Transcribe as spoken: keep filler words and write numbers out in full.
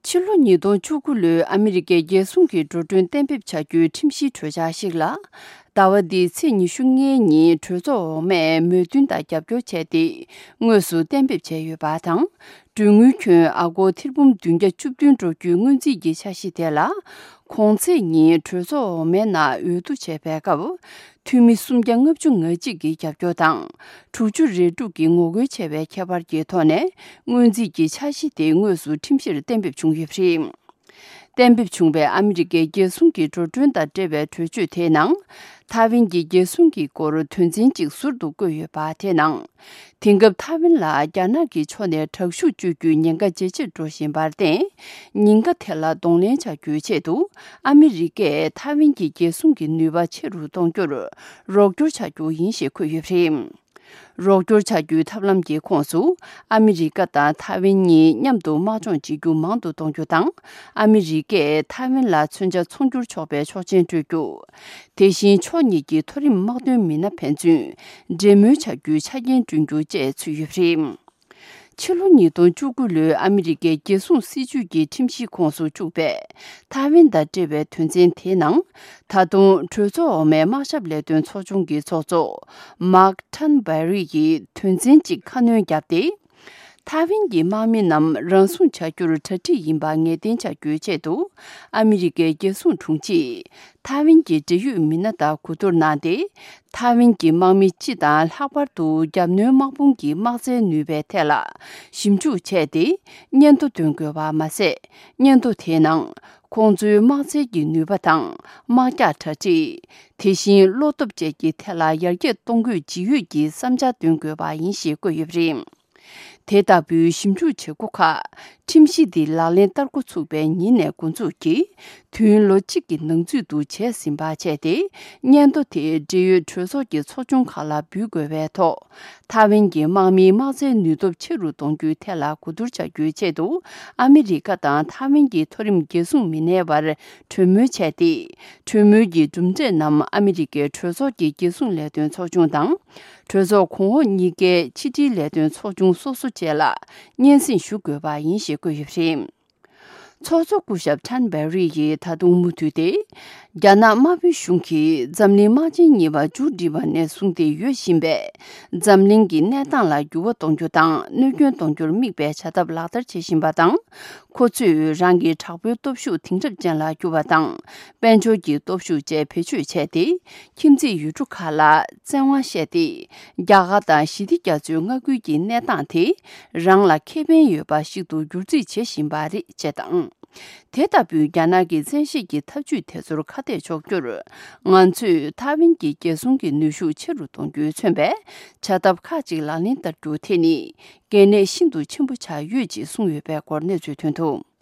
ཕྱི་ལོ་ཉིས་སྟོང་བཅུ་དགུ་ལོའི་ཨ་མི་རི་ཀའི་རྒྱལ་སྲུང་གི་འགྲོ་གྲོན་གཏན་འབེབས་བྱ་རྒྱུའི་ཁྲིམས་གཞིའི་གྲོས་འཆར་ཞིག་ལ། ཟླ་བ་འདིའི་ཚེས་ཉི་ཤུ་ལྔའི་ཉིན་གྲོས་ཚོགས་འོག་མས་མོས་མཐུན་དང་རྒྱབ་སྐྱོར་བྱས་ཏེ། དངོས་སུ་གཏན་འབེབས་བྱས་ཡོད་པ་དང་། གྲོན་དངུལ་ཁྱོན་ཨ་སྒོར་ཐེར་འབུམ་བདུན་བརྒྱ་བཅུ་བདུན་འགྲོ་རྒྱུའི་སྔོན་རྩིས་ཀྱི་འཆར་གཞི་དེ་ལ། གོང་ཚེས་ཉིན་གྲོས་ཚོགས་འོག་མའི་ནང་འོས་བསྡུ་བྱས་པའི་སྐབས། འཐུས་མི་སུམ་བརྒྱ་ལྔ་བཅུ་ང་གཅིག་གིས་རྒྱབ་སྐྱོར་དང་། དྲུག་ཅུ་རེ་དྲུག་གིས་ངོ་རྒོལ་བྱས་པའི་ཁྱད་པར་གྱི་ཐོག་ནས། སྔོན་རྩིས་ཀྱི་འཆར་གཞི་དེ་དངོས་སུ་ཁྲིམས་གཞིར་གཏན་འབེབས་བྱུང་ཡོད་པ་རེད། གཏན་འབེབས་བྱུང་བའི་ཨ་མི་རི་ཀའི་རྒྱལ་སྲུང་གི་འགྲོ་གྲོན་དང་འབྲེལ་བའི་གྲོས་ཆོད་དེའི་ནང་། ཐའེ་ཝན་གྱི་རྒྱལ་སྲུང་གི་སྐོར་དོན་ཚན་གཅིག་ཟུར་དུ་བཀོད་ཡོད་པ་དེའི་ནང་། དེང་སྐབས་ཐའེ་ཝན་ལ་རྒྱ་ནག་གི་ཕྱོགས་ནས་དྲག་ཤུགས་སྤྱོད་རྒྱུའི་ཉེན་ཁ་ཇེ་ཆེར་འགྲོ་བཞིན་པར་བརྟེན། ཉེན་ཁ་དེ་ལ་གདོང་ལེན་བྱ་རྒྱུའི་ཆེད་དུ། ཨ་མི་རི་ཀས་ཐའེ་ཝན་གྱི་རྒྱལ་སྲུང་གི་ནུས་པ་ཆེ་རུ་གཏོང་རྒྱུར་རོགས་སྐྱོར་བྱ་རྒྱུ་ཡིན་ཞེས་འཁོད་ཡོད་པ་རེད། རོགས་སྐྱོར་བྱ་རྒྱུའི་ཐབས་ལམ་གྱི་ཁོངས་སུ། ཨ་མི་རི་ཀ་དང་ཐའེ་ཝན་གཉིས་མཉམ་དུ་དམག་སྦྱོང་བྱེད་རྒྱུ་མང་དུ་གཏོང་རྒྱུ་དང་། ཨ་མི་རི་ཀས་ཐའེ་ཝན་ལ་མཚོན་ཆ་ཚོང་སྒྱུར་ཆོག་པའི་ཆོག་མཆན་སྤྲོད་རྒྱུ། དེ་བཞིན་ཕྱོགས་གཉིས་ཀྱི་མཐོ་རིམ་དམག་དོན་མི་སྣ་ཕན་ཚུན་འབྲེལ་མོལ་བྱ་རྒྱུའི་ཆ་རྐྱེན་བསྐྲུན་རྒྱུ་བཅས་ཚུད་ཡོད་པ་རེད། ཕྱི་ལོ་ཉིས་སྟོང་བཅུ་དགུ་ལོའི་ཨ་མི་རི་ཀའི་རྒྱལ་སྲུང་སྲིད་ཇུས་ཀྱི་ཁྲིམས་གཞིའི་ཁོངས་སུ་བཅུག་པའི་ཐའེ་ཝན་དང་འབྲེལ་བའི་དོན་ཚན་དེའི་ནང་། ད་དུང་གྲོས་ཚོགས་འོག་མའི་དམག་ཞབས་ལས་དོན་ཚོགས་ཆུང་གི་ཚོགས་གཙོ་མཱག་ཐན་བྷེ་རི་ཡིས་དོན་ཚན་གཅིག་ཁ་སྣོན་བརྒྱབ་སྟེ། ཐའེ་ཝན་གྱི་དམག་མི་རྣམས་རང་སྲུང་བྱ་རྒྱུར་གྲ་སྒྲིག་ཡིན་པ་ངེས་གཏན་བྱ་རྒྱུའི་ཆེད་དུ། ཨ་མི་རི་ཀའི་རྒྱལ་སྲུང་དྲུང་ཆེས་ཐའེ་ཝན་གྱི་འབྲེལ་ཡོད་མི་སྣ་དང་གོ་བསྡུར་གནང་སྟེ། ཐའེ་ཝན་གྱི་དམག་མི་སྤྱི་དང་ལྷག་པར་དུ་རྒྱབ་གནོན་དམག་དཔུང་གི་དམག་རྩལ་ནུས་པའི་ཐད་ལ་ཞིབ་འཇུག་བྱས་ཏེ། སྙན་ཐོ་འདོན་དགོས་པ་མ་ཟད། སྙན་ཐོ་དེའི་ནང་། ཁོང་ཚོའི་དམག་རྩལ་གྱི་ནུས་པ་དང་། དམག་རྒྱགས་གྲ་སྒྲིག་དེ་བཞིན་བློ་སྟོབས་བཅས་ཀྱི་ཐད་ལ་ཡར་རྒྱས་གཏོང་དགོས་ཇི་ཡོད་ཀྱི་བསམ་འཆར་འདོན་དགོས་པ་ཡིན་ཞེས་བཀོད་ཡོད་པ་རེད། དེ་ལྟ་བུའི་ཞིབ་འཇུག་བྱེད་སྒོ་ཁག་ཁྲིམས་གཞི་འདི་ལག་ལེན་བསྟར་འགོ་ཚུགས་པའི་ཉིན་ནས་འགོ་འཛུགས་ཀྱིས། དུས་ཡུན་ལོ་གཅིག་གི་ནང་ཚུད་དུ་བྱས་ཟིན་པ་བྱས་ཏེ། སྙན་ཐོ་དེ་འབྲེལ་ཡོད་གྲོས་ཚོགས་ཀྱི་ཚོགས་ཆུང་ཁག་ལ་འབུལ་དགོས་པའི་ཐོག་ཐའེ་ཝན་གྱི་དམག་མིའི་དམག་རྩལ་ནུས་སྟོབས་ཆེ་རུ་གཏོང་རྒྱུའི་ཐད་ལ་གོ་བསྡུར་བྱ་རྒྱུའི་ཆེད་དུ། ཨ་མི་རི་ཀ་དང་ཐའེ་ཝན་གྱི་མཐོ་རིམ་རྒྱལ་སྲུང་མི་སྣའི་བར་གྲོས་མོལ་བྱས་ཏེ། གྲོས་མོལ་གྱི་གྲུབ་འབྲས་རྣམས་ཨ་མི་རི་ཀའི་གྲོས་ཚོགས་ཀྱི་རྒྱལ་སྲུང་ལས་དོན་ཚོགས་ཆུང་དང་། གྲོས་ཚོགས་གོང་འོག་གཉིས་ཀའི་ཕྱི་དྲིལ་ལས་དོན་ཚོགས་ཆུང་སོ་སོ་བཅས་ལ་སྙན་སེང་ཞུ་དགོས་པ་ཡིན་ཞེས་བཀོད་ཡོད་པ་རེད། ཚོགས་གཙོ་སྐུ་ཞབས་ཐན་བེ་རི་ཡིས་ད་དུང་མུ་མཐུད་དེ། རྒྱ་ནག་དམར་པོའི་གཞུང་གིས་འཛམ་གླིང་དམག་ཆེན་གཉིས་པ་མཇུག་བསྒྲིལ་བ་ནས་བཟུང་སྟེ་ཡོད་བཞིན་པའི་འཛམ་གླིང་གི་གནས་སྟངས་ལ་འགྱུར་བ་གཏོང་རྒྱུ་དང་གནོད་སྐྱོན་གཏོང་རྒྱུར་དམིགས་པའི་བྱ་ཐབས་ལག་བསྟར་བྱེད་བཞིན་པ་དང་། ཁོ་ཚོས་རང་གི་དྲག་པོའི་སྟོབས་ཤུགས་དེང་རབས་ཅན་ལ་བསྒྱུར་བ་དང་། དཔལ་འབྱོར་གྱི་སྟོབས་ཤུགས་བཅས་བེད་སྤྱོད་བྱས་ཏེ། ཁྱིམ་མཚེས་ཡུལ་གྲུ་ཁག་ལ་བཙན་དབང་བཤད་དེ། རྒྱ་གར་དང་ཞི་བདེ་རྒྱ་མཚོའི་མངའ་ཁུལ་གྱི་གནས་སྟངས་དེ་རང་ལ་ཁེ་ཕན་ཡོད་པ་ཞིག་ཏུ་བསྒྱུར་རྩིས་བྱེད་བཞིན་པ་རེད་ཅེས་དང་། དེ་ལྟ་བུའི་རྒྱ་ནག་གི་བཙན་ཤེད་ཀྱི་ཐབས་ཇུས་དེ་ཚོར་ཁ་གཏད་གཅོག་རྒྱུར། ང་ཚོས་ཐའེ་ཝན་གྱི་རྒྱལ་སྲུང་གི་ནུས་ཤུགས་ཆེ་རུ་གཏོང་རྒྱུས་མཚོན་པའི་བྱ་ཐབས་ཁག་ཅིག་ལག་ལེན་བསྟར་རྒྱུ་དེ་ནི་གལ་གནད་ཤིན་ཏུ་ཆེན་པོ་ཆགས་ཡོད་ཅེས་གསུངས་ཡོད་པའི་སྐོར་གནས་ཚུལ་ཐོན་འདུག